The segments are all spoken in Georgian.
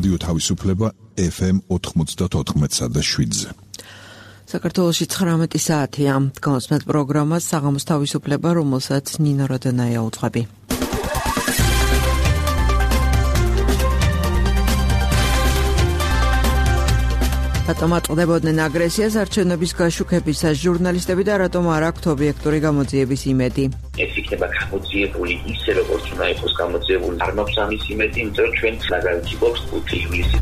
რადიო თავისუფლება FM 94.7-ზე. საქართველოში 19 საათია. განსმეთ პროგრამას საღამოს თავისუფლება, რომელსაც ნინო როდანაია უძღვები. რატომ აწყვდებოდნენ აგრესიას არჩევნების გაშუქებისას ჟურნალისტები და რატომ არ აქვთ ობიექტური გამოძიების იმედი? ეს იქნება გამოძიებული ისე, როგორც უნდა იყოს გამოძიებული. არ მაქვს ამის იმედი, იმიტომ რომ ჩვენ მაგალითად გვაქვს 5 ივლისი.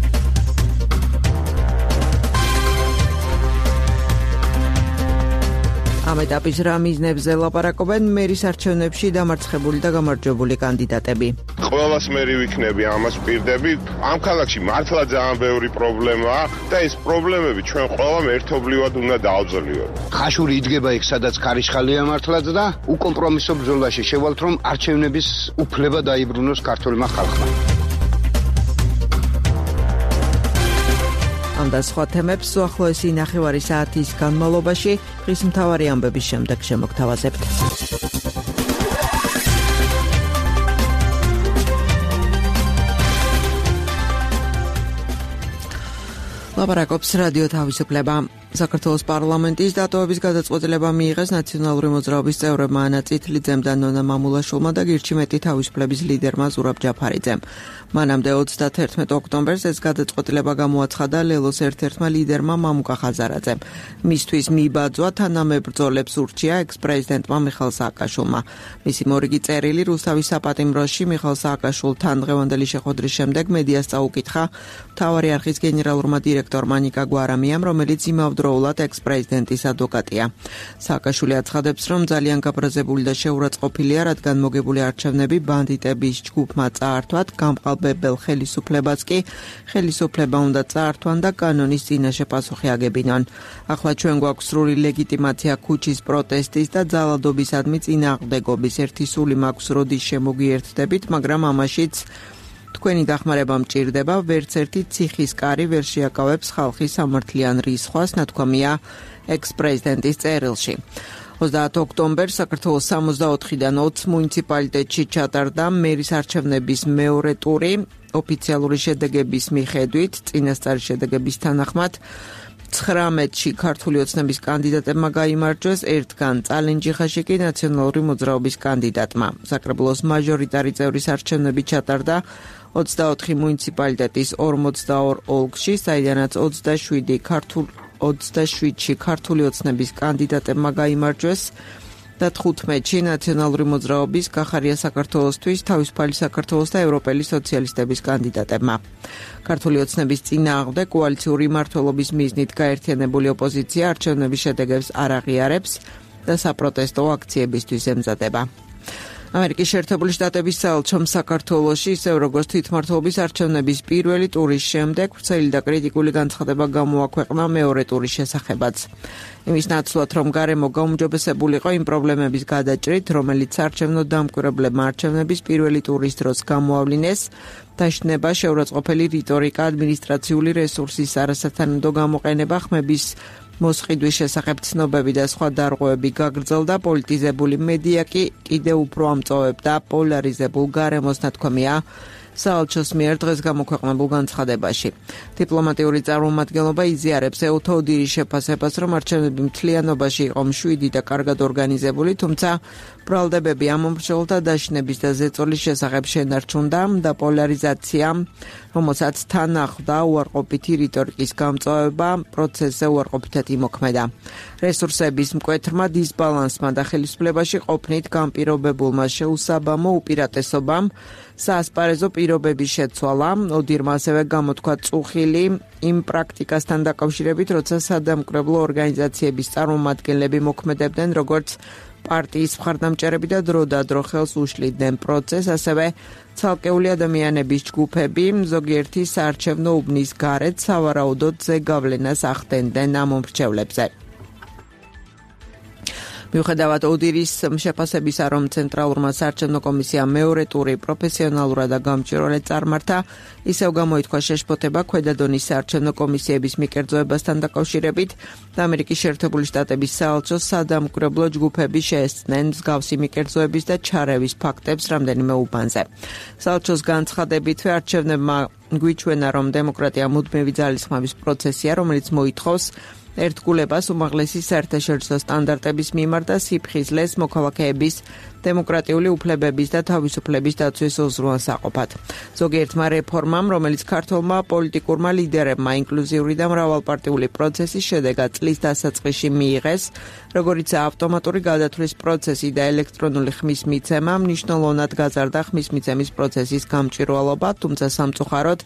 ამ ეტაპის რა მიზნებზე ლაპარაკობენ მერის არჩევნებში დამარცხებული და გამარჯვებული კანდიდატები? ყველას მერი ვიქნები, ამას პირდები. ამ ქალაქში მართლა ძალიან ბევრი პრობლემაა და ეს პრობლემები ჩვენ ყველამ ერთობლივად უნდა დავძლიოთ. ხაშური იდგება იქ, სადაც ქარიშხალია მართლაც და უკომპრომისო ბრძოლაში შევალთ, რომ არჩევნების უფლება დაიბრუნოს ქართულმა ხალხმა. ამ და სხვა თემებს უახლოესი ნახევარი საათის განმავლობაში დღის მთავარი ამბების შემდეგ შემოგთავაზებთ. ლაპარაკობს რადიო თავისუფლება. საქართველოს პარლამენტის დატოვების გადაწყვეტილება მიიღეს ნაციონალური მოძრაობის წევრებმა ანა წითლიძემ და ნონა მამულაშვილმა და გირჩიმეტი თავისუფლების ლიდერმა ზურაბ ჯაფარიძემ. მანამდე 31 ოქტომბერს ეს გადაწყვეტილება გამოაცხადა ლელოს ერთ-ერთმა ლიდერმა მამუკა ხაზარაძემ. მისთვის მიბაძვა თანამებრძოლებს ურჩია ექს-პრეზიდენტმა მიხაილ სააკაშვილმა. მისი მორიგი წერილი რუსთავის საპატიმროში მიხაილ სააკაშვილთან დღევანდელი შეხვედრის შემდეგ მედიას წაუკითხა მთავარი არხის გენერალურმა დირექტორმა ნიკა გვარამიამ, რომელიც იმავდროულად ექს-პრეზიდენტის ადვოკატია. სააკაშვილი აცხადებს, რომ ძალიან გაბრაზებული და შეურაცხყოფილია, რადგან მოგებული არჩევნები ბანდიტების ჯგუფმა წაართვათ, გამყალბებელ ხელისუფლებას კი ხელისუფლება უნდა წაართვან და კანონის წინაშე პასუხი აგებინონ. ახლა ჩვენ გვაქვს სრული ლეგიტიმაცია ქუჩის პროტესტის და ძალადობისადმი წინააღმდეგობის. ერთი სული მაქვს, როდის შემოგიერთდებით, მაგრამ ამაშიც თქვენი დახმარება მჭირდება, ვერც ერთი ციხის კარი ვერ შეაკავებს ხალხის სამართლიან რისხვას, ნათქვამია ექს-პრეზიდენტის წერილში. 30 ოქტომბერს საქართველოს 64-დან 20 მუნიციპალიტეტში ჩატარდა მერის არჩევნების მეორე ტური. ოფიციალური შედეგების მიხედვით, წინასწარი შედეგების თანახმად 19-ში ქართული ოცნების კანდიდატებმა გაიმარჯვეს, ერთგან წალენჯიხაში კი ნაციონალური მოძრაობის კანდიდატმა. საკრებულოს მაჟორიტარი წევრის არჩევნები ჩატარდა 24 მუნიციპალიტეტის 42 ოლქში, საიდანაც 27-ში ქართული ოცნების კანდიდატებმა გაიმარჯვეს და 15-ში ნაციონალური მოძრაობის გახარია საქართველოსთვის, თავისუფალი საქართველოს და ევროპელი სოციალისტების კანდიდატებმა. ქართული ოცნების წინააღმდეგ კოალიციური მმართველობის მიზნით გაერთიანებული ოპოზიცია არჩევნების შედეგებს არ აღიარებს და საპროტესტო აქციებისთვის ემზადება. ამერიკის შეერთებული შტატების საელჩომ საქართველოში, ისევ როგორც თვითმმართველობის არჩევნების პირველი ტურის შემდეგ, ვრცელი და კრიტიკული განცხადება გამოაქვეყნა მეორე ტურის შესახებაც. იმის ნაცვლად, რომ გარემო გაუმჯობესებულიყო იმ პრობლემების გადაჭრით, რომელიც არჩევნო დამკვირვებლებმა არჩევნების პირველი ტურის დროს გამოავლინეს, დაშინება შეურაცხყოფელი რიტორიკა, ადმინისტრაციული რესურსის არასათანადო გამოყენება, ხმების მოსყიდვის შესახებ ცნობები და სხვა დარღვევები გაგრძელდა, პოლიტიზებული მედია კი კიდევ უფრო ამწოვებდა პოლარიზებულ გარემოს, ნათქვამია საელჩოს მიერ დღეს გამოქვეყნებულ განცხადებაში. დიპლომატიური წარმომადგენლობა იზიარებს ეუთო ოდირის შეფასებას, რომ არჩევნები მთლიანობაში იყო მშვიდი და კარგად ორგანიზებული, თუმცა ბრალდებები ამომრჩეველთა დაშინების და ზეწოლის შესახებ შენარჩუნდა და პოლარიზაცია, რომელსაც თან ახლდა უარყოფითი რიტორიკის გამწვავება, პროცესზე უარყოფითად იმოქმედა. რესურსების მკვეთრმა დისბალანსმა და ხელისუფლებაში ყოფნით განპირობებულმა შეუსაბამო უპირატესობამ საასპარეზო პირობების შეცვალა. ოდირმა ასევე გამოთქვა წუხილი იმ პრაქტიკასთან დაკავშირებით, როცა სადამკვირვებლო ორგანიზაციების წარმომადგენლები მოქმედებდნენ როგორც პარტიის მხარდამჭერები და დროდადრო ხელს უშლიდნენ პროცესს, ასევე ცალკეული ადამიანების ჯგუფები ზოგიერთი საარჩევნო უბნის გარეთ სავარაუდოდ ზეგავლენას ახდენდნენ ამ მომრჩევლებზე. მიუხედავად ოდირის შეფასებისა, რომ ცენტრალურმა საარჩევნო კომისიამ მეორე ტური პროფესიონალურად და გამჭვირვალედ წარმართა, ისევ გამოითქვა შეშფოთება ქვედა დონის საარჩევნო კომისიების მიკერძოებასთან დაკავშირებით და ამერიკის შეერთებული შტატების საელჩოს სადამკვირვებლო ჯგუფები შეესწნენ მსგავსი მიკერძოების და ჩარევის ფაქტებს რამდენიმე უბანზე. საელჩოს განცხადებითვე არჩევნებმა გვიჩვენა, რომ დემოკრატია მუდმივი ძალისხმევის პროცესია, რომელიც მოითხოვს ერთგულებას უმაღლესი საერთაშორისო სტანდარტების მიმართ და სიფხიზლეს მოქალაქეების დემოკრატიული უფლებების და თავისუფლების დაცვის უზრუნველსაყოფად. ზოგიერთმა რეფორმამ, რომელიც ქართველმა პოლიტიკურმა ლიდერებმა ინკლუზიური და მრავალპარტიული პროცესის შედეგად წლის დასაწყისში მიიღეს, როგორიცაა ავტომატური გადათვლის პროცესი და ელექტრონული ხმის მიცემა, მნიშვნელოვნად გაზარდა ხმის მიცემის პროცესის გამჭვირვალობა, თუმცა სამწუხაროდ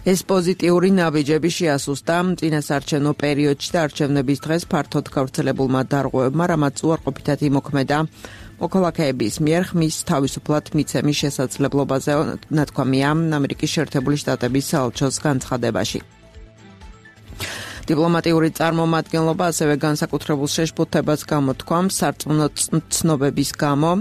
ეს პოზიტიური ნაბიჯები შეასუსტა წინასაარჩევნო პერიოდში და არჩევნების დღეს ფართოდ გავრცელებულმა დარღვევებმა, რამაც უარყოფითად იმოქმედა მოქალაქეების მიერ ხმის თავისუფლად მიცემის შესაძლებლობაზე, ნათქვამია ამერიკის შეერთებული შტატების საელჩოს განცხადებაში. დიპლომატიური წარმომადგენლობა ასევე განსაკუთრებულ შეშფოთებას გამოთქვამს სარწმუნო ცნობების გამო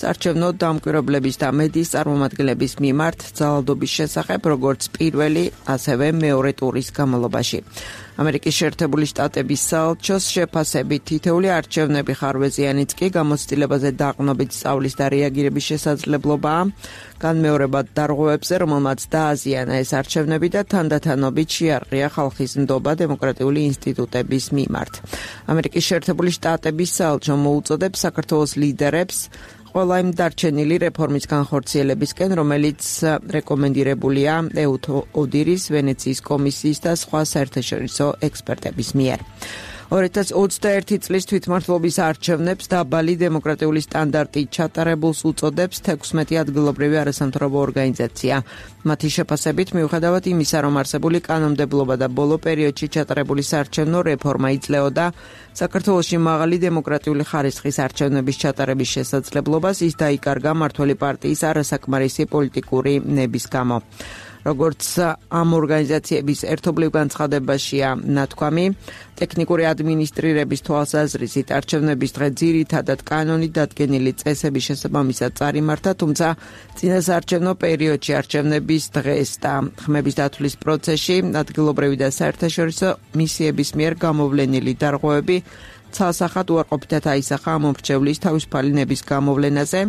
საარჩევნო დამკვირვებლების და მედიის წარმომადგენლების მიმართ ძალადობის შესახებ, როგორც პირველი, ასევე მეორე ტურის განმავლობაში. ამერიკის შეერთებული შტატების საელჩოს შეფასებით თითოეული არჩევნები ხარვეზიანიც კი გამოცდილებაზე დაყრდნობით სწავლის და რეაგირების შესაძლებლობაა, განმეორებად დარღვევებზე, რომელმაც დააზიანა ეს არჩევნები და თანდათანობით შეარყია ხალხის ნდობა დემოკრატიული ინსტიტუტების მიმართ. ამერიკის შეერთებული შტატების საელჩო მოუწოდებს საქართველოს ლიდერებს ყველა იმ დარჩენილი რეფორმის განხორციელებისკენ, რომელიც რეკომენდირებულია ეუთ ოდირის, ვენეციის კომისიის და სხვა საერთაშორისო ექსპერტების მიერ. 2021 წლის თვითმმართველობის არჩევნებს დაბალი დემოკრატიული სტანდარტით ჩატარებულს უწოდებს 16 ადგილობრივი არასამთავრობო ორგანიზაცია. მათი შეფასებით, მიუხედავად იმისა, რომ არსებული კანონმდებლობა და ბოლო პერიოდში ჩატარებული საარჩევნო რეფორმა იძლეოდა საქართველოში მაღალი დემოკრატიული ხარისხის არჩევნების ჩატარების შესაძლებლობას, ის დაიკარგა მმართველი პარტიის არასაკმარისი პოლიტიკური ნების გამო. როგორც ამ ორგანიზაციების ერთობლივ განცხადებაშია ნათქვამი, ტექნიკური ადმინისტრირების თვალსაზრისით არჩევნების დღე ძირითადად კანონით დადგენილი წესების შესაბამისად წარიმართა, თუმცა წინასაარჩევნო პერიოდში არჩევნების დღეს და ხმების დათვლის პროცესში ადგილობრივი და საერთაშორისო მისიების მიერ გამოვლენილი დარღვევები ცალსახად უარყოფითად აისახა ამ მომრჩევლის თავისუფალი ნების გამოვლენაზე,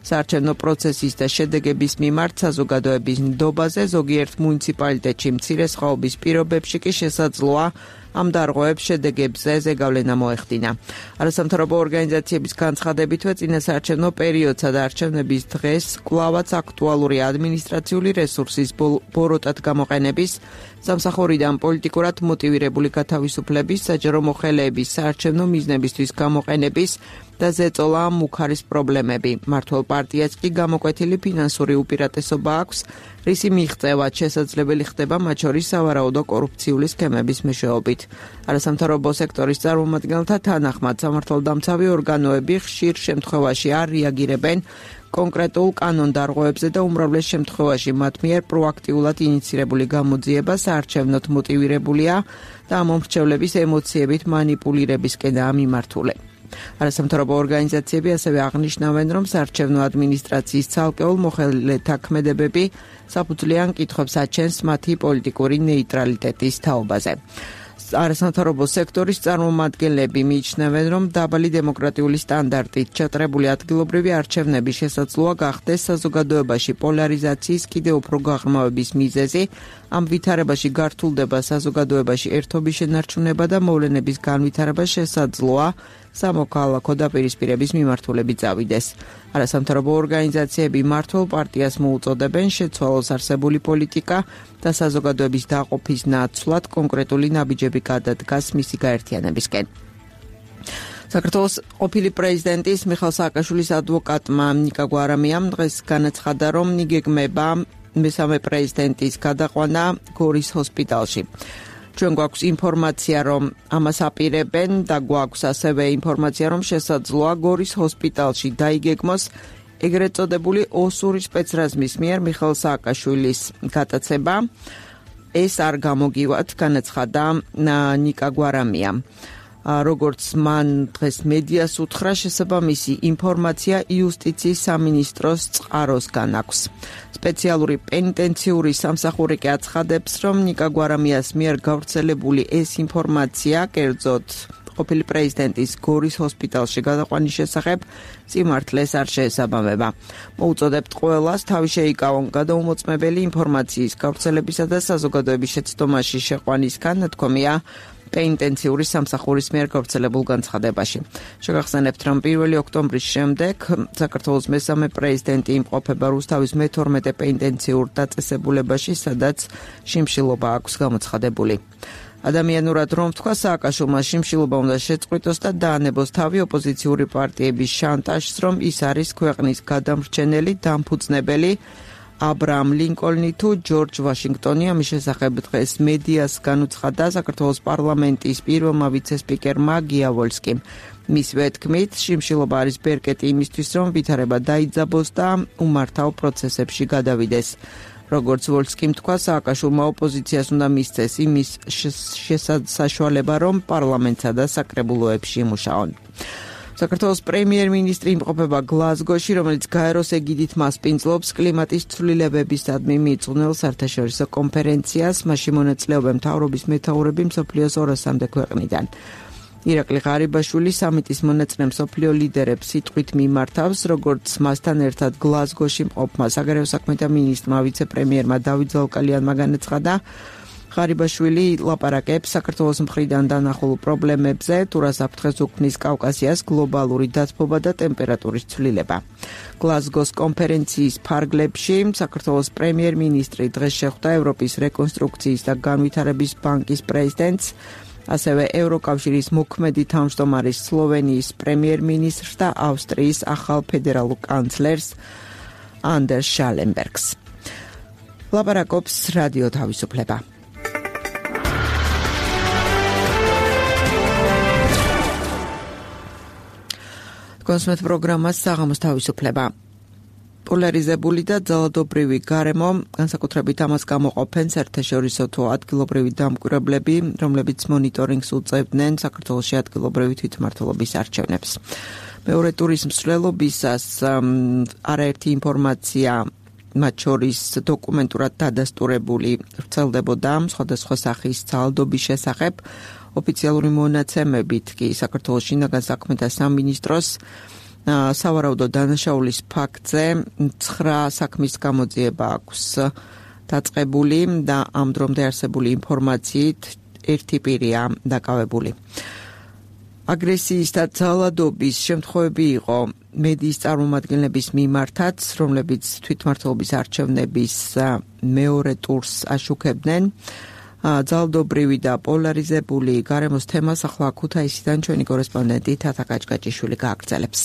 საარჩევნო პროცესის და შედეგების მიმართ საზოგადოების ნდობაზე, ზოგიერთ მუნიციპალიტეტში მცირე სხვაობის პირობებში კი შესაძლოა ამ დარღვევებს შედეგებზე ზეგავლენა მოეხდინა. არასამთავრობო ორგანიზაციების განცხადებითვე წინასაარჩევნო პერიოდსა და არჩევნების დღეს კვლავაც აქტუალური ადმინისტრაციული რესურსის ბოროტად გამოყენების, სამსახურიდან პოლიტიკურად მოტივირებული გათავისუფლების, საჯარო მოხელეების საარჩევნო მიზნებისთვის გამოყენების და ზეწოლა მუქარის პრობლემები. მმართველ პარტიას კი გამოკვეთილი ფინანსური უპირატესობა აქვს, რისი მიღწევაც შესაძლებელი ხდება მათ შორის სავარაუდო კორუფციული სქემების მეშვეობით. არასამთავრობო სექტორის წარმომადგენელთა თანახმად სამართალდამცავი ორგანოები ხშირ შემთხვევაში არ რეაგირებენ კონკრეტულ კანონდარღვევებზე და უმრავლეს შემთხვევაში მათ მიერ პროაქტიულად ინიცირებული გამოძიება საარჩევნოდ მოტივირებულია და ამ მომრჩევლების ემოციებით მანიპულირებისკენაა მიმართული. არასამთავრობო ორგანიზაციები ასევე აღნიშნავენ, რომ საარჩევნო ადმინისტრაციის ცალკეულ მოხელეთა ქმედებები საფუძვლიან კითხვებს აჩენს მათი პოლიტიკური ნეიტრალიტეტის თაობაზე. არასამთავრობო სექტორის წარმომადგენლები მიიჩნევენ, რომ დაბალი დემოკრატიული სტანდარტით ჩატარებული ადგილობრივი არჩევნები შესაძლოა გახდეს საზოგადოებაში პოლარიზაციის კიდევ უფრო გაღრმავების მიზეზი, ამ ვითარებაში გართულდება საზოგადოებაში ერთობის შენარჩუნება და მოვლენების განვითარება შესაძლოა სამოქალაქო დაპირისპირების მიმართულებით წავიდეს. არასამთავრობო ორგანიზაციები მმართველ პარტიას მოუწოდებენ შეცვალოს არსებული პოლიტიკა და საზოგადოების დაყოფის ნაცვლად კონკრეტული ნაბიჯები გადადგას მისი გაერთიანებისკენ. საქართველოს ყოფილი პრეზიდენტის მიხეილ სააკაშვილის ადვოკატმა ნიკა გვარამიამ დღეს განაცხადა, რომ იგეგმება მესამე პრეზიდენტის გადაყვანა გორის ჰოსპიტალში. ჩვენ გვაქვს ინფორმაცია, რომ ამას აპირებენ და გვაქვს ასევე ინფორმაცია, რომ შესაძლოა გორის ჰოსპიტალში დაიგეგმოს ეგრეთ წოდებული ოსური სპეცრაზმის მიერ მიხეილ სააკაშვილის გატაცება. ეს არ გამოგივათ, განაცხადა ნიკა გვარამიამ. როგორც მან დღეს მედიას უთხრა, შესაბამისი ინფორმაცია იუსტიციის სამინისტროს წყაროსგან აქვს. სპეციალური პენიტენციური სამსახური კი აცხადებს, რომ ნიკა გვარამიას მიერ გავრცელებული ეს ინფორმაცია, კერძოდ ყოფილი პრეზიდენტის გორის ჰოსპიტალში გადაყვანის შესახებ სიმართლეს არ შეესაბამება. მოუწოდებთ ყველას თავი შეიკავონ გადაუმოწმებელი ინფორმაციის გავრცელებისა და საზოგადოების შეცდომაში შეყვანისგან, ნათქვამია პენიტენციური სამსახურის მიერ გავრცელებულ განცხადებაში. შეგახსენებთ, რომ 1 ოქტომბრის შემდეგ საქართველოს მესამე პრეზიდენტი იმყოფება რუსთავის მე-12 პენიტენციურ დაწესებულებაში, სადაც შიმშილობა აქვს გამოცხადებული. ადამიანურად რომ თქვა, სააკაშვილმა შიმშილობა უნდა შეწყვიტოს და დაანებოს თავი ოპოზიციური პარტიების შანტაჟს, რომ ის არის ქვეყნის გადამრჩენელი დამფუძნებელი აბრაამ ლინკოლნი თუ ჯორჯ ვაშინგტონი. ამის შესახებ დღეს მედიას განუცხადა საქართველოს პარლამენტის პირველმა ვიცე-სპიკერმა გია ვოლსკიმ. მისივე თქმით, შიმშილობა არის ბერკეტი იმისთვის, რომ ვითარება დაიძაბოს და უმართავ პროცესებში გადავიდეს. როგორც ვოლსკიმ თქვა, სააკაშვილმა ოპოზიციას უნდა მისცეს იმის საშუალება, რომ პარლამენტსა და საკრებულოებში იმუშაონ. საქართველოს პრემიერ-მინისტრი იმყოფება გლაზგოში, რომელიც გაეროს ეგიდით მასპინძლობს კლიმატის ცვლილებებისადმი მიიწვნილ საერთაშორისო კონფერენციას. მასში მონაწილეობენ მთავრობის მეთაურები მსოფლიოს 200-მდე ქვეყნიდან. ირაკლი ღარიბაშვილი სამიტის მონაწილე მსოფლიო ლიდერებს სიტყვით მიმართავს, როგორც მასთან ერთად გლაზგოში მყოფმა საგარეო საქმეთა მინისტრმა ვიცე-პრემიერმა დავით ზალკალიანმა განაცხადა, ღარიბაშვილი ლაპარაკებს საქართველოს მხრიდან დანახულ პრობლემებზე, თუ რას აფრთხეს უქმნის კავკასიას გლობალური დათბობა და ტემპერატურის ცვლილება. გლაზგოს კონფერენციის ფარგლებში საქართველოს პრემიერ-მინისტრი დღეს შეხვდა ევროპის რეკონსტრუქციის და განვითარების ბანკის პრეზიდენტს, ასევე ევროკავშირის მოქმედი თავმჯდომარის სლოვენიის პრემიერ-მინისტრს და ავსტრიის ახალ ფედერალურ კანცლერს ანდერს შალენბერგს. ლაპარაკობს რადიო თავისუფლება. კონსმეთ პროგრამას საღამოს თავისუფლება. პოლარიზებული და ძალადობრივი გარემო, განსაკუთრებით ამას გამოყოფენ საერთაშორისო თუ ადგილობრივი დამკვირვებლები, რომლებიც მონიტორინგს უწევდნენ საქართველოში ადგილობრივი თვითმმართველობის არჩევნებს. მეორე ტურის მსვლელობისას არაერთი ინფორმაცია, მათ შორის დოკუმენტურად დადასტურებული, ვრცელდებოდა სხვადასხვა სახის ძალადობის შესახებ. ოფიციალური მონაცემებით კი საქართველოს შინაგან საქმეთა სამინისტროს სავარაუდო დანაშაულის ფაქტზე 9 საქმის გამოძიება აქვს დაწყებული და ამ დრომდე არსებული ინფორმაციით ერთი პირია დაკავებული. აგრესიის და ძალადობის შემთხვევები იყო მედიის წარმომადგენლების მიმართაც, რომლებიც თვითმმართველობის არჩევნების მეორე ტურს აშუქებდნენ. ძალადობრივი და პოლარიზებული გარემოს თემას ახლა ქუთაისიდან ჩვენი კორესპონდენტი თათა კაჭკაჭიშვილი გააგრძელებს.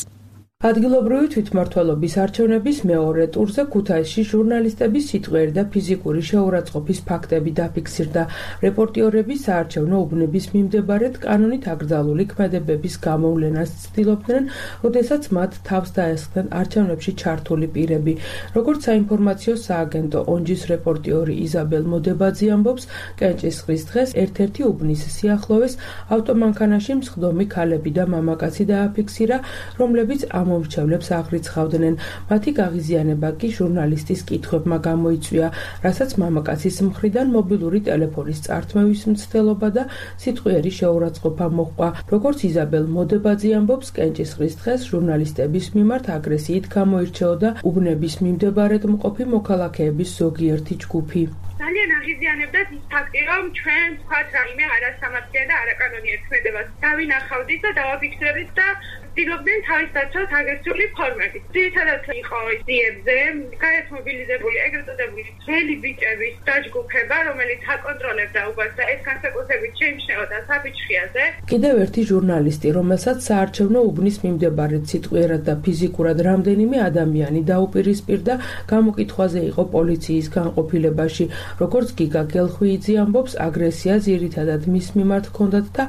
ადგილობრივი თვითმმართველობის არჩევნების მეორე ტურზე ქუთაისში ჟურნალისტების სიტყვიერი და ფიზიკური შეურაცხყოფის ფაქტები დაფიქსირდა. რეპორტიორები საარჩევნო უბნების მიმდებარედ კანონით აკრძალული ქმედებების გამოვლენას ცდილობდნენ, როდესაც მათ თავს დაესხნენ არჩევნებში ჩართული პირები. როგორც საინფორმაციო სააგენტო ონჯის რეპორტიორი იზაბელ მოდებაძე ამბობს, კენჭისყრის დღეს ერთ-ერთი უბნის სიახლოვეს ავტომანქანაში მსხდომი ქალები და მამაკაცი დააფიქსირა, რომლებიც მომრჩევლებს აღრიცხავდნენ. მათი გაღიზიანება კი ჟურნალისტის კითხვებმა გამოიწვია, რასაც მამაკაცის მხრიდან მობილური ტელეფონის წართმევის მცდელობა და სიტყვიერი შეურაცხყოფა მოჰყვა. როგორც იზაბელ მოდებაძე ამბობს, კენჭისყრის დღეს ჟურნალისტების მიმართ აგრესიით გამოირჩეოდა უბნების მიმდებარედ მყოფი მოქალაქეების ზოგიერთი ჯგუფი. ძალიან აღიზიანებდათ ის ფაქტი, რომ ჩვენ თქვათ რაიმე არასამართლიან და არაკანონიერ ქმედებას დავინახავდით და დავაფიქსირებდით და ცდილობდნენ თავის დაცვას აგრესიული ფორმებით. ძირითადად იყო ძიებზე გაერთმობილიზებული ეგრეთ წოდებული ძველი ბიჭების დაჯგუფება, რომელიც აკონტროლებდა უბანს და ეს განსაკუთრებით შეიმჩნეოდა საფიჩხიაზე. კიდევ ერთი ჟურნალისტი, რომელსაც საარჩევნო უბნის მიმდებარედ სიტყვიერად და ფიზიკურად რამდენიმე ადამიანი დაუპირისპირდა, გამოკითხვაზე იყო პოლიციის განყოფილებაში. როგორც გიგა გელხვიიძე ამბობს, აგრესია ძირითადად მის მიმართ ჰქონდათ და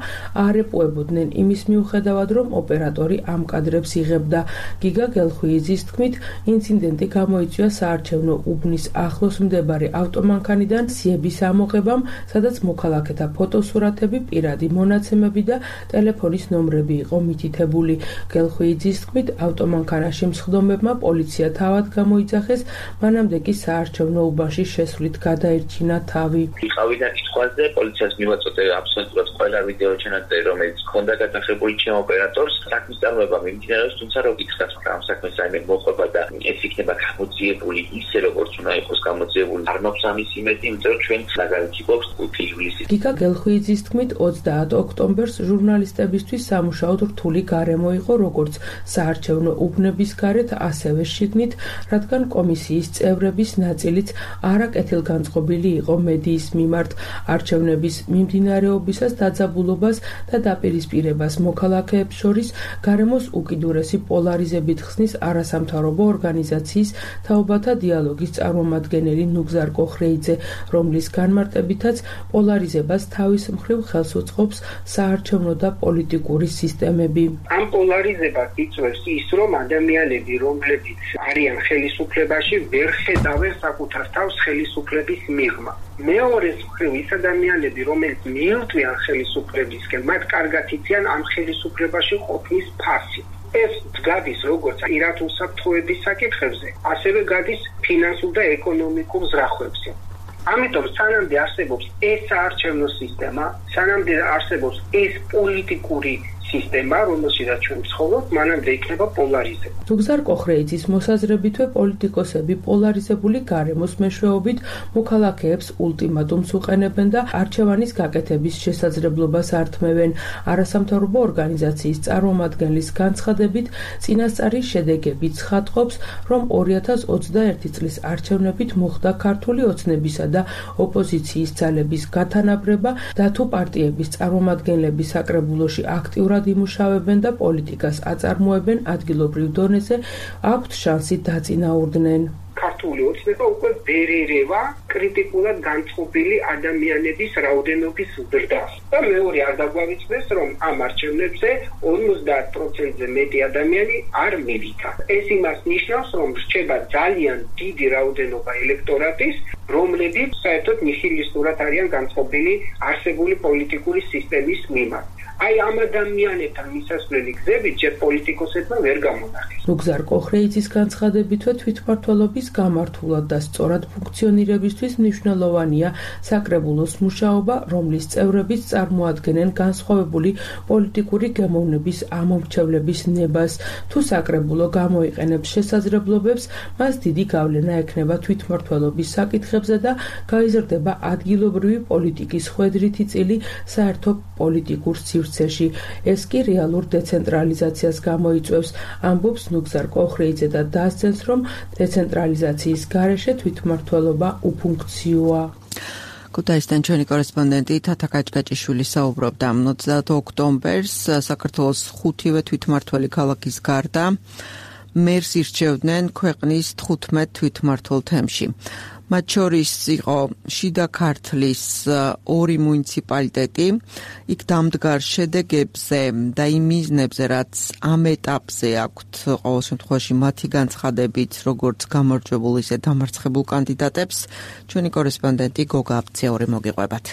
არ ეპუებოდნენ იმის მიუხედავად, რომ ოპერატორი პროკურორი ამ კადრებს იღებდა. გიგა გელხვიძის თქმით, ინციდენტი გამოიწვია საარჩევნო უბნის ახლოს მდებარე ავტომანქანიდან სიების ამოღებამ, სადაც მოქალაქეთა ფოტოსურათები, პირადი მონაცემები და ტელეფონის ნომრები იყო მითითებული. გელხვიძის თქმით, ავტომანქანაში მსხდომებმა პოლიცია თავად გამოიძახეს, მანამდე კი საარჩევნო უბანში შესვლით გადაერჩინა თავი. იყავი და კითხვაზე პოლიციას მივაწოდე აბსოლუტურად ყველა ვიდეო ჩანაწერი, რომელიც ჰქონდა გადახებული ჩემ ოპერატორს. საქმის წარმოება მიმდინარეობს, თუმცა რო გითხრათ, რომ ამ საქმეს რაიმე მოყვება და ეს იქნება გამოძიებული ისე, როგორც უნდა იყოს გამოძიებული, არ მაქვს ამის იმედი, იმიტომ რომ ჩვენ მაგალითი გვაქვს 5 ივლისის. გიგა გელხვიძის თქმით, 30 ოქტომბერს ჟურნალისტებისთვის სამუშაოდ რთული გარემო იყო, როგორც საარჩევნო უბნების გარეთ, ასევე შიგნით, რადგან კომისიის წევრების ნაწილიც არაკეთილგანწყობილი იყო მედიის მიმართ. არჩევნების მიმდინარეობისას დაძაბულობას და დაპირისპირებას მოქალაქეებს შორის გარემოს უკიდურესი პოლარიზებით ხსნის არასამთავრობო ორგანიზაციის თაობათა დიალოგის წარმომადგენელი ნუგზარ კოხრეიძე, რომლის განმარტებითაც პოლარიზებას თავის მხრივ ხელს უწყობს საარჩევნო და პოლიტიკური სისტემები. ამ პოლარიზებას იწვევს ის, რომ ადამიანები, რომლებიც არიან ხელისუფლებაში, ვერ ხედავენ საკუთარ თავს ხელისუფლების მიღმა. მეორეს მხრივ ის ადამიანები, რომლებიც მიირთვიან ხელისუფლებისკენ, მათ კარგად იციან ამ ხელისუფლებაში ყოფნის ფასი. ეს გადის როგორც პირადულ საფრთხეების საკითხებზე, ასევე გადის ფინანსურ და ეკონომიკურ ზრახვებზე. ამიტომ სანამდე არსებობს ეს საარჩევნო სისტემა, სანამდე არსებობს ეს პოლიტიკური სისტემა, რომელშიც ჩვენ ვცხოვრობთ, მანამდე იქნება პოლარიზება. ნუგზარ კოხრეიძის მოსაზრებითვე პოლიტიკოსები პოლარიზებული გარემოს მეშვეობით მოქალაქეებს ულტიმატუმს უყენებენ და არჩევანის გაკეთების შესაძლებლობას ართმევენ. არასამთავრობო ორგანიზაციის წარმომადგენლის განცხადებით, წინასწარი შედეგები ცხადყოფს, რომ 2021 წლის არჩევნებით მოხდა ქართული ოცნებისა და ოპოზიციის ძალების გათანაბრება და თუ პარტიების წარმომადგენლები საკრებულოში აქტიურად იმუშავებენ და პოლიტიკას აწარმოებენ ადგილობრივ დონეზე, აქვთ შანსი დაწინაურდნენ. ქართული ოცნება უკვე ვერ ერევა კრიტიკულად განწყობილი ადამიანების რაოდენობის ზრდას. და მეორე არ დაგვავიწყდეს, რომ ამ არჩევნებზე 50%-ზე მეტი ადამიანი არ მივიდა. ეს იმას ნიშნავს, რომ რჩება ძალიან დიდი რაოდენობა ელექტორატის, რომლებიც საერთოდ ნიჰილისტურად არიან განწყობილი არსებული პოლიტიკური სისტემის მიმართ. აი ამ ადამიანებთან მისასვლელი გზებით ჯერ პოლიტიკოსებმა ვერ გამონახეს. ნუგზარ კოხრეიძის განცხადებითვე თვითმმართველობის გამართულად და სწორად ფუნქციონირებისთვის მნიშვნელოვანია საკრებულოს მუშაობა, რომლის წევრებიც წარმოადგენენ განსხვავებული პოლიტიკური გემოვნების ამომრჩევლების ნებას. თუ საკრებულო გამოიყენებს შესაძლებლობებს, მას დიდი გავლენა ექნება თვითმმართველობის საკითხებზე და გაიზრდება ადგილობრივი პოლიტიკის ხვედრითი წილი საერთო პოლიტიკურ სივრცეში. ეს კი რეალურ დეცენტრალიზაციას გამოიწვევს, ამბობს ნუგზარ კოხრეიძე და დასძენს, რომ დეცენტრალიზაციის გარეშე თვითმმართველობა უფუნქციოა. ქუთაისიდან ჩვენი კორესპონდენტი თათა კაჭკაჭიშვილი საუბრობდა 30 ოქტომბერს საქართველოს 5-ვე თვითმმართველი ქალაქის გარდა მერს ირჩევდნენ ქვეყნის 15 თვითმმართველ თემში. მათ შორის იყო შიდა ქართლის 2 მუნიციპალიტეტი. იქ დამდგარ შედეგებზე და იმ მიზნებზე, რაც ამ ეტაპზე აქვთ ყოველ შემთხვევაში მათი განცხადებით, როგორც გამარჯვებულ ისე დამარცხებულ კანდიდატებს, ჩვენი კორესპონდენტი გოგა აბციური მოგიყვებათ.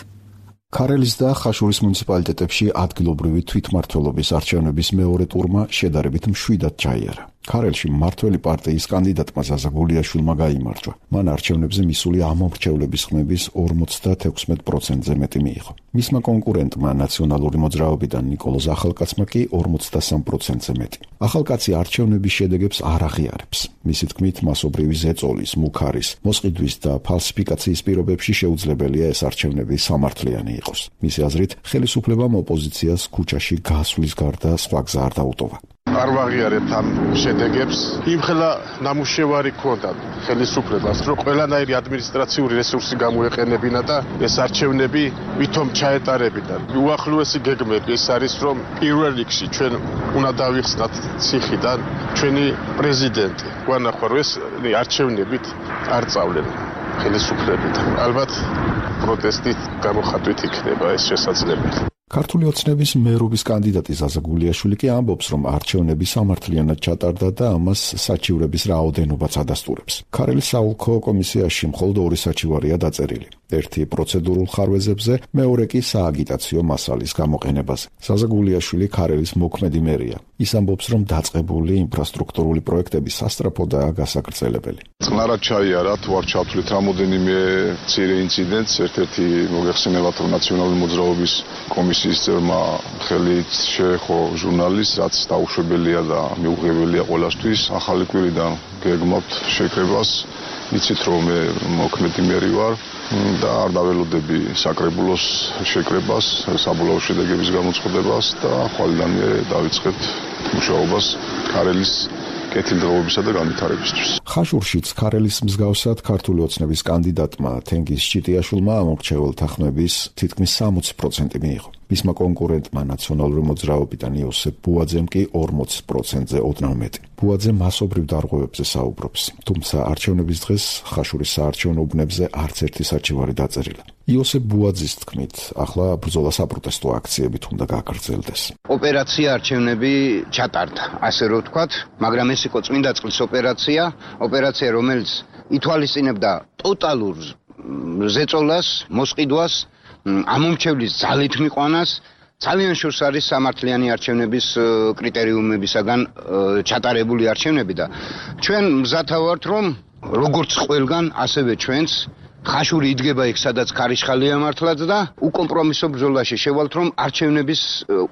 ქარელის და ხაშურის მუნიციპალიტეტებში ადგილობრივი თვითმმართველობის არჩევნების მეორე ტურმა შედარებით მშვიდად ჩაიარა. ქარელში მმართველი პარტიის კანდიდატმა ზაზა გულიაშვილმა გაიმარჯვა. მან არჩევნებზე მისული ამომრჩევლების ხმების 56%-ზე მეტი მიიღო. მისმა კონკურენტმა ნაციონალური მოძრაობიდან ნიკოლოზ ახალკაცმა კი 53%-ზე მეტი. ახალკაცი არჩევნების შედეგებს არ აღიარებს. მისი თქმით, მასობრივი ზეწოლის, მუქარის, მოსყიდვის და ფალსიფიკაციის პირობებში შეუძლებელია ეს არჩევნები სამართლიანი იყოს. მისი აზრით, ხელისუფლებამ ოპოზიციას ქუჩაში გასვლის გარდა სხვა გზა არ დაუტოვა. არ ვაღიარებთ ამ შედეგებს. იმხელა ნამუშევარი ქონდა ხელისუფლებას, რომ ყველანაირი ადმინისტრაციული რესურსი გამოეყენებინა და ეს არჩევნები ვითომ ჩაეტარებინა. უახლოესი გეგმები ეს არის, რომ პირველ რიგში ჩვენ უნდა დავიხსნათ ციხიდან ჩვენი პრეზიდენტი. გვანახვა, რომ ეს არჩევნებით არ წავლენ ხელისუფლებიდან. ალბათ პროტესტით გამოხატვით იქნება ეს შესაძლებელი. ქართული ოცნების მერობის კანდიდატი ზაზა გულიაშვილი კი ამბობს, რომ არჩევნები სამართლიანად ჩატარდა და ამას საჩივრების რაოდენობაც ადასტურებს. ქარელის საოლქო კომისიაში მხოლოდ 2 საჩივარია დაწერილი. ერთი პროცედურულ ხარვეზებზე, მეორე კი სააგიტაციო მასალის გამოყენებაზე. ზაზა გულიაშვილი ქარელის მოქმედი მერია. ის ამბობს, რომ დაწყებული ინფრასტრუქტურული პროექტები სასწრაფოდაა გასაგრძელებელი. წყნარად ჩაიარა თუ არ ჩავთვლით რამოდენიმე მცირე ინციდენტს, ერთ-ერთი მოგეხსენებათ, რომ ნაციონალური მოძრაობის კომისიის წევრმა ხელი შეეხო ჟურნალისტს, რაც დაუშვებელია და მიუღებელია ყველასთვის. ახალი კვირიდან გეგმავთ შეკრებას. იცით, რომ მე მოქმედი მერი ვარ და არ დაველოდები საკრებულოს შეკრებას, საბოლოო შედეგების გამოცხადებას და ხვალიდან მე დავიწყებ მუშაობას ქარელის კეთილდღეობისა და განვითარებისთვის. ხაშურშიც ქარელის მსგავსად ქართული ოცნების კანდიდატმა თენგიზ ჭიტიაშვილმა ამორჩეველთა ხმების თითქმის 60% მიიღო. მისმა კონკურენტმა ნაციონალური მოძრაობიდან იოსებ ბუაძემ კი 40%-ზე ოდნავ მეტი. ბუაძე მასობრივ დარღვევებზე საუბრობს, თუმცა არჩევნების დღეს ხაშურის საარჩევნო უბნებზე არც ერთი საჩივარი დაწერილა. იოსებ ბუაძის თქმით, ახლა ბრძოლა საპროტესტო აქციებით უნდა გაგრძელდეს. ოპერაცია არჩევნები ჩატარდა, ასე რომ ვთქვათ, მაგრამ ეს იყო წმინდა წყლის ოპერაცია, რომელიც ითვალისწინებდა ტოტალურ ზეწოლას, მოსყიდვას, ამომრჩევლის ძალით მიყვანას, ძალიან შორს არის სამართლიანი არჩევნების კრიტერიუმებისაგან ჩატარებული არჩევნები და ჩვენ მზათა ვართ, რომ როგორც ყველგან, ასევე ჩვენც ხაშური იდგება იქ, სადაც ქარიშხალია მართლაც და უკომპრომისო ბრძოლაში შევალთ, რომ არჩევნების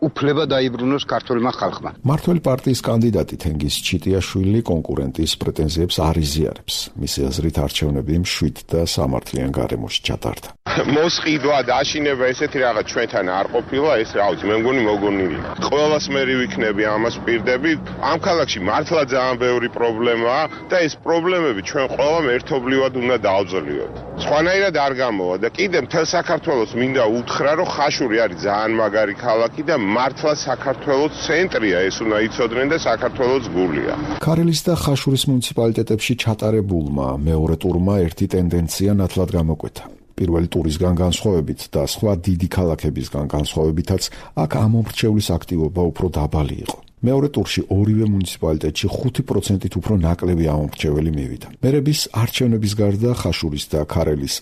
უფლება დაიბრუნოს ქართულმა ხალხმა. მართველი პარტიის კანდიდატი თენგიზ ჭიტიაშვილი კონკურენტის პრეტენზიებს არ იზიარებს. მისი აზრით არჩევნები მშვიდ და სამართლიან გარემოში ჩატარდა. მოსყიდვა და აშინება ესეთი რაღაც ჩვენთან არ ყოფილა, ეს რა ვიცი, მე მგონი მოგონილია. ყველას მერი ვიქნები ამას პირდები. ამ ქალაქში მართლა ძალიან ბევრი პრობლემაა და ეს პრობლემები ჩვენ ყველამ ერთობლივად უნდა დავძლიოთ. სხვანაირად არ გამოვა და კიდე მთელ საქართველოს მინდა უთხრა, რომ ხაშური არის ძალიან მაგარი ქალაქი და მართლა საქართველოს ცენტრია, ეს უნდა იცოდნენ და საქართველოს გულია. ქარელის და ხაშურის მუნიციპალიტეტებში ჩატარებულმა მეორე ტურმა ერთი ტენდენცია ნათლად გამოკვეთა. პირველი ტურისგან განსხვავებით და სხვა დიდი ქალაქებისგან განსხვავებითაც აქ ამომრჩევლის აქტივობა უფრო დაბალი იყო. მეორე ტურში ორივე მუნიციპალიტეტში 5%-ით უფრო ნაკლები ამომრჩეველი მივიდა. მერების არჩევნების გარდა ხაშურის და ქარელის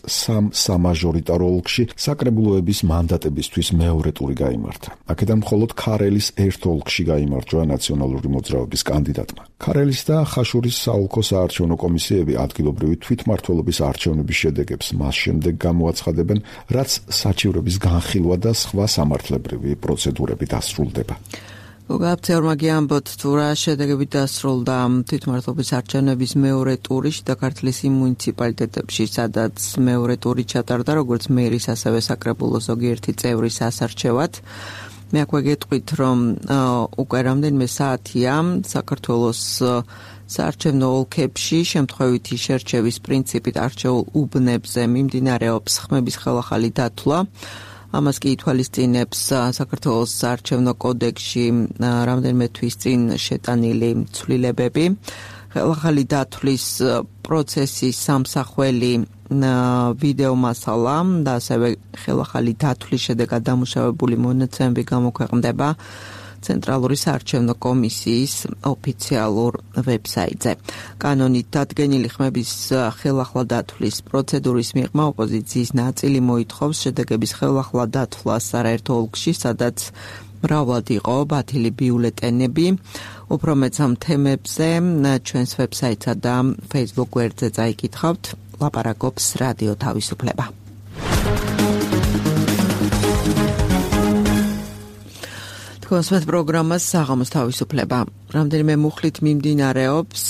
სამაჟორიტარო ოლქში საკრებულოების მანდატებისთვის მეორე ტური გაიმართა. აქედან მხოლოდ ქარელის ერთ ოლქში გაიმარჯვა ნაციონალური მოძრაობის კანდიდატმა. ქარელის და ხაშურის საოლქო საარჩევნო კომისიები ადგილობრივი თვითმმართველობის არჩევნების შედეგებს მას შემდეგ გამოაცხადებენ, რაც საჩივრების განხილვა და სხვა სამართლებრივი პროცედურები დასრულდება. გაფცეურმაგი ამბობთ, თუ რა შედეგები დასრულდა თვითმმართველობის არჩევნების მეორე ტური და ქართლის იმ მუნიციპალიტეტებში, სადაც მეორე ტური ჩატარდა, როგორც მერის, ასევე საკრებულოს ზოგიერთი წევრის ასარჩევად. მე აქვე გეტყვით, რომ უკვე რამდენიმე საათია საქართველოს საარჩევნო ოლქებში შემთხვევითი შერჩევის პრინციპით არჩეულ უბნებზე მიმდინარეობს ხმების ხელახალი დათვლა. ამას კი ითვალისწინებს საქართველოს საარჩევნო კოდექსში რამდენიმე თვის წინ შეტანილი ცვლილებები. ხელახალი დათვლის პროცესის სამსახველი ვიდეო მასალა და ასევე ხელახალი დათვლის შედეგად დამუშავებული მონაცემები გამოქვეყნდება ცენტრალური საარჩევნო კომისიის ოფიციალურ ვებსაიტზე. კანონით დადგენილი ხმების ხელახლა დათვლის პროცედურის მიღმა ოპოზიციის ნაწილი მოითხოვს შედეგების ხელახლა დათვლას არაერთ ოლქში, სადაც მრავლად იყო ბათილი ბიულეტენები. უფრო მეც ამ თემებზე ჩვენს ვებსაიტსა და Facebook გვერდზე წაიკითხავთ. ლაპარაკობს რადიო თავისუფლება. კონსვეთ პროგრამას საღამოს თავისუფლება. რამდენიმე მუხლით მიმდინარეობს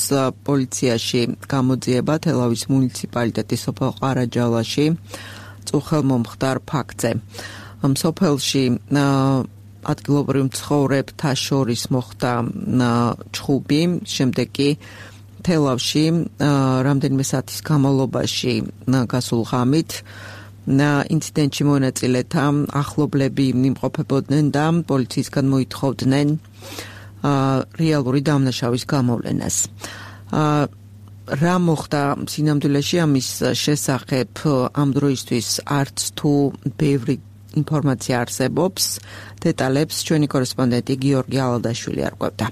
პოლიციაში გამოძიება თელავის მუნიციპალიტეტის სოფელ ყარაჯალაში წუხელმომხდარ ფაქტზე. ამ სოფელში ადგილობრივ მცხოვრებთა შორის მოხდა ჩხუბი, შემდეგ კი თელავში რამდენიმე საათის განმავლობაში გასულ ღამით ინციდენტში მონაწილეთა ახლობლები იმყოფებოდნენ და პოლიციისგან მოითხოვდნენ რეალური დამნაშავის გამოვლენას. რა მოხდა სინამდვილეში ამის შესახებ ამ დროისთვის არც თუ ბევრი ინფორმაცია არსებობს. დეტალებს ჩვენი კორესპონდენტი გიორგი ალადაშვილი არკვევდა.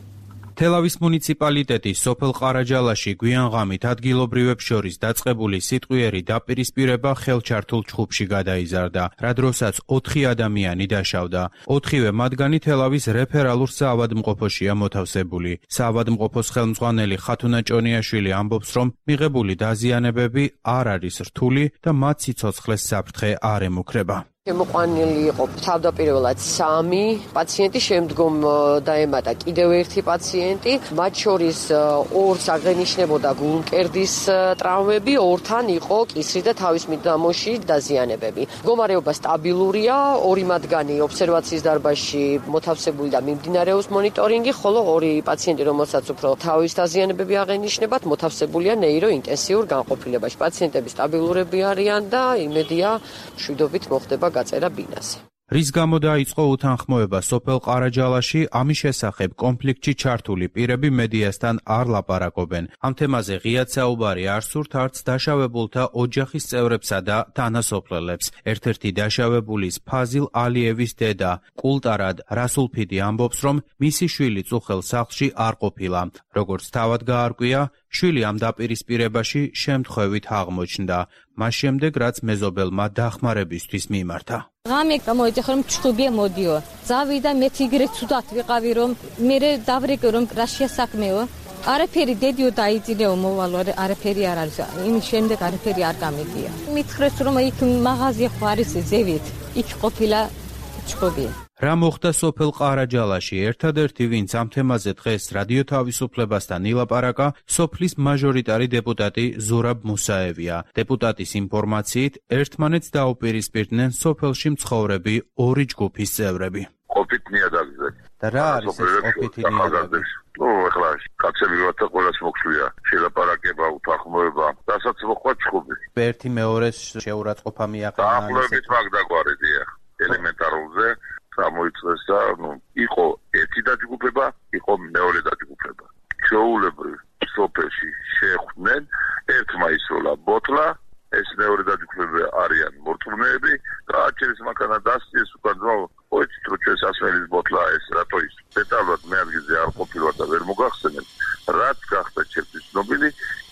თელავის მუნიციპალიტეტი სოფელ ყარაჯალაში გვიანღამით ადგილობრივებს შორის დაწყებული სიტყვიერი დაპირისპირება ხელჩართულ ჩხუბში გადაიზარდა, რა დროსაც 4 ადამიანი დაშავდა. 4-ვე მათგანი თელავის რეფერალურ საავადმყოფოშია მოთავსებული. საავადმყოფოს ხელმძღვანელი ხათუნა ჭონიაშვილი ამბობს, რომ მიღებული დაზიანებები არ არის რთული და მათ სიცოცხლეს საფრთხე არ ემუქრება. შემოყვანილი იყო თავდაპირველად 3 პაციენტი, შემდგომ დაემატა კიდევ 1 პაციენტი, მათ შორის 2-ს აღენიშნებოდა გულმკერდის ტრავმები, 2-თან იყო კისრი და თავის მიდამოში დაზიანებები. მდგომარეობა სტაბილურია, 2 მათგანი ობსერვაციის დარბაზში მოთავსებული და მიმდინარეობს მონიტორინგი, ხოლო 2 პაციენტი, რომელსაც უფრო თავის დაზიანებები აღენიშნებათ, მოთავსებულია ნეიროინტენსიურ განყოფილებაში. პაციენტები სტაბილურები არიან და იმედია მშვიდობით მოხდება გაწერა ბინაზე. რის გამო დაიწყო უთანხმოება სოფელ ყარაჯალაში, ამის შესახებ კონფლიქტში ჩართული პირები მედიასთან არ ლაპარაკობენ. ამ თემაზე ღიად საუბარი არ სურთ არც დაშავებულთა ოჯახის წევრებსა და თანასოფლელებს. ერთ-ერთი დაშავებულის ფაზილ ალიევის დედა კულტარად რასულფიდი ამბობს, რომ მისი შვილი წუხელ სახლში არ ყოფილა. როგორც თავად გაარკვია, შვილი ამ დაპირისპირებაში შემთხვევით აღმოჩნდა, მას შემდეგ რაც მეზობელმა დახმარებისთვის მიმართა. ღამე გამოიწეხა რომ ჩხუბია მოდიო. ზავიდა მე თიგრე ცუდად ვიყავი რომ მე დავრეკე რომ რაშია საქმეო. არაფერი დედიო დაიწინეო მოვალო არაფერი არ არის. იმის შემდეგ არაფერი არ გამიგია. მითხრეს რომ იქ მაღაზია ხო არის ზევით. იქ ყოფილა ჩხუბი. რა მოხდა სოფელ ყარაჯალაში? ერთადერთი ვინც ამ თემაზე დღეს რადიო თავისუფლებასთან ილაპარაკა, სოფლის მაჟორიტარი დეპუტატი ზურაბ მუსაევია. დეპუტატის ინფორმაციით, ერთმანეთს დაუპირისპირდნენ სოფელში მცხოვრები 2 ჯგუფის წევრები. ყოფით ნიადაგზე. და რა არის ეს ყოფითი ნიადაგი? ეხლა კაცები ვართ და ყველას მოხსვია შელაპარაკება, უთანხმოება, რასაც მოხდა ჩხუბი. ერთი მეორეს შეურაცხყოფა მიაყენა. დაახლოებით მაგ დაგვარედია ელემენტარულზე. გამოიწეს და იყო ერთი დაჯგუფება, იყო მეორე დაჯგუფება. ჩვეულებრივ სოფელში შეხვდნენ, ერთმა ისროლა ბოთლა, ეს მეორე დაჯგუფება არიან მორწმუნეები და აჩერის მაქანა დასწიეს უკან ძმა, ოიცით რომ ჩვენს ასმერის ბოთლა ეს რატო ის. დეტალურად მე ადგილზე არ ყოფილვარ და ვერ მოგახსენებ, რაც გახდა ჩემთვის ცნობილი,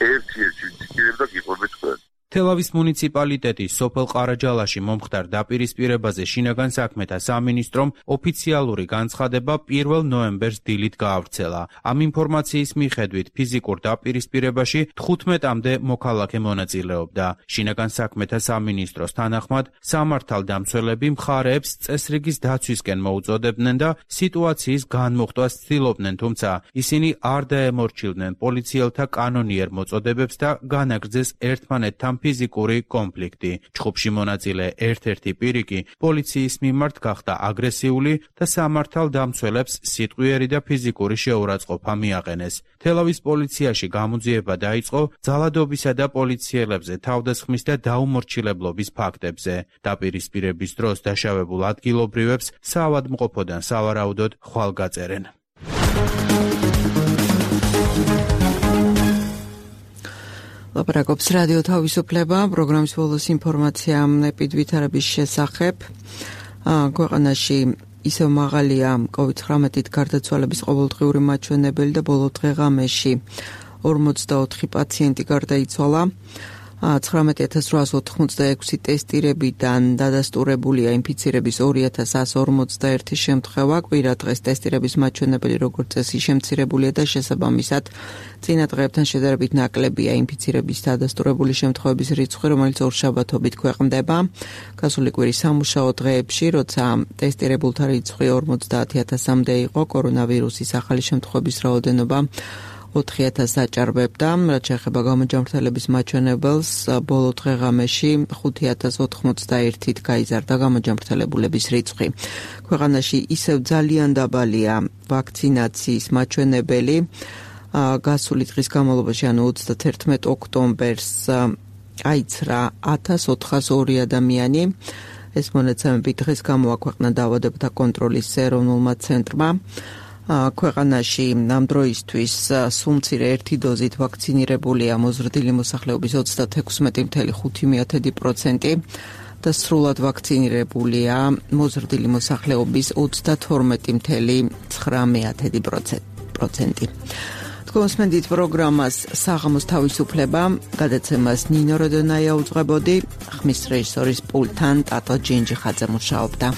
ერთი ვინციკირებდა გიყვებით თქვენ. თელავის მუნიციპალიტეტის სოფელ ყარაჯალაში მომხდარ დაპირისპირებაზე შინაგან საქმეთა სამინისტრომ ოფიციალური განცხადება 1 ნოემბერს დილით გაავრცელა. ამ ინფორმაციის მიხედვით ფიზიკურ დაპირისპირებაში 15-მდე მოქალაქე მონაწილეობდა. შინაგან საქმეთა სამინისტროს თანახმად, სამართალდამცველები მხარეებს წესრიგის დაცვისკენ მოუწოდებდნენ და სიტუაციის განმოხტვას ცდილობდნენ, თუმცა ისინი არ დაემორჩილდნენ პოლიციელთა კანონიერ მოწოდებებს და განაგრძეს ერთმანეთთან ფიზიკური კონფლიქტი. ჩხუბში მონაწილე ერთ-ერთი პირი კი პოლიციის მიმართ გახდა აგრესიული და სამართალდამცველებს სიტყვიერი და ფიზიკური შეურაცხყოფა მიაყენეს. თელავის პოლიციაში გამოძიება დაიწყო ძალადობისა და პოლიციელებზე თავდასხმის და დაუმორჩილებლობის ფაქტებზე. დაპირისპირების დროს დაშავებულ ადგილობრივებს საავადმყოფოდან სავარაუდოდ ხვალ გაწერენ. ლაპარაკობს რადიო თავისუფლება, პროგრამის ბოლოს ინფორმაცია ეპიდვითარების შესახებ. ქვეყანაში ისევ მაღალია COVID-19-ით გარდაცვალების ყოველდღიური მაჩვენებელი და ბოლო დღე-ღამეში 44 პაციენტი გარდაიცვალა. 19886 ტესტირებიდან დადასტურებულია ინფიცირების 2141 შემთხვევა. კვირა დღეს ტესტირების მაჩვენებელი როგორც წესი შემცირებულია და შესაბამისად წინა დღეებთან შედარებით ნაკლებია ინფიცირების დადასტურებული შემთხვევების რიცხვი, რომელიც ორშაბათობით ქვეყნდება. გასული კვირის სამუშაო დღეებში, როცა ტესტირებულთა რიცხვი 50000-მდე იყო, კორონავირუსის ახალი შემთხვევების რაოდენობა 4000 აჭარბებდა. რაც შეეხება გამოჯამრთელების მაჩვენებელს, ბოლო დღე-ღამეში 5091-ით გაიზარდა გამოჯამრთელებულების რიცხვი. ქვეყანაში ისევ ძალიან დაბალია ვაქცინაციის მაჩვენებელი. გასული დღის განმავლობაში, ანუ 31 ოქტომბერს აიცრა 1402 ადამიანი. ეს მონაცემები დღეს გამოაქვეყნა დაავადებათა კონტროლის ეროვნულმა ცენტრმა. ქვეყანაში ამ დროისთვის სულ მცირე ერთი დოზით ვაქცინირებულია მოზრდილი მოსახლეობის 36.5%. და სრულად ვაქცინირებულია მოზრდილი მოსახლეობის 32.9%. Კონსმენდით პროგრამას საღამოს თავისუფლება, გადაცემას ნინო როდონაია უძღვებოდი, ხმის რეჟისორის პულტთან ტატო ჯინჯიხაძე მუშაობდა.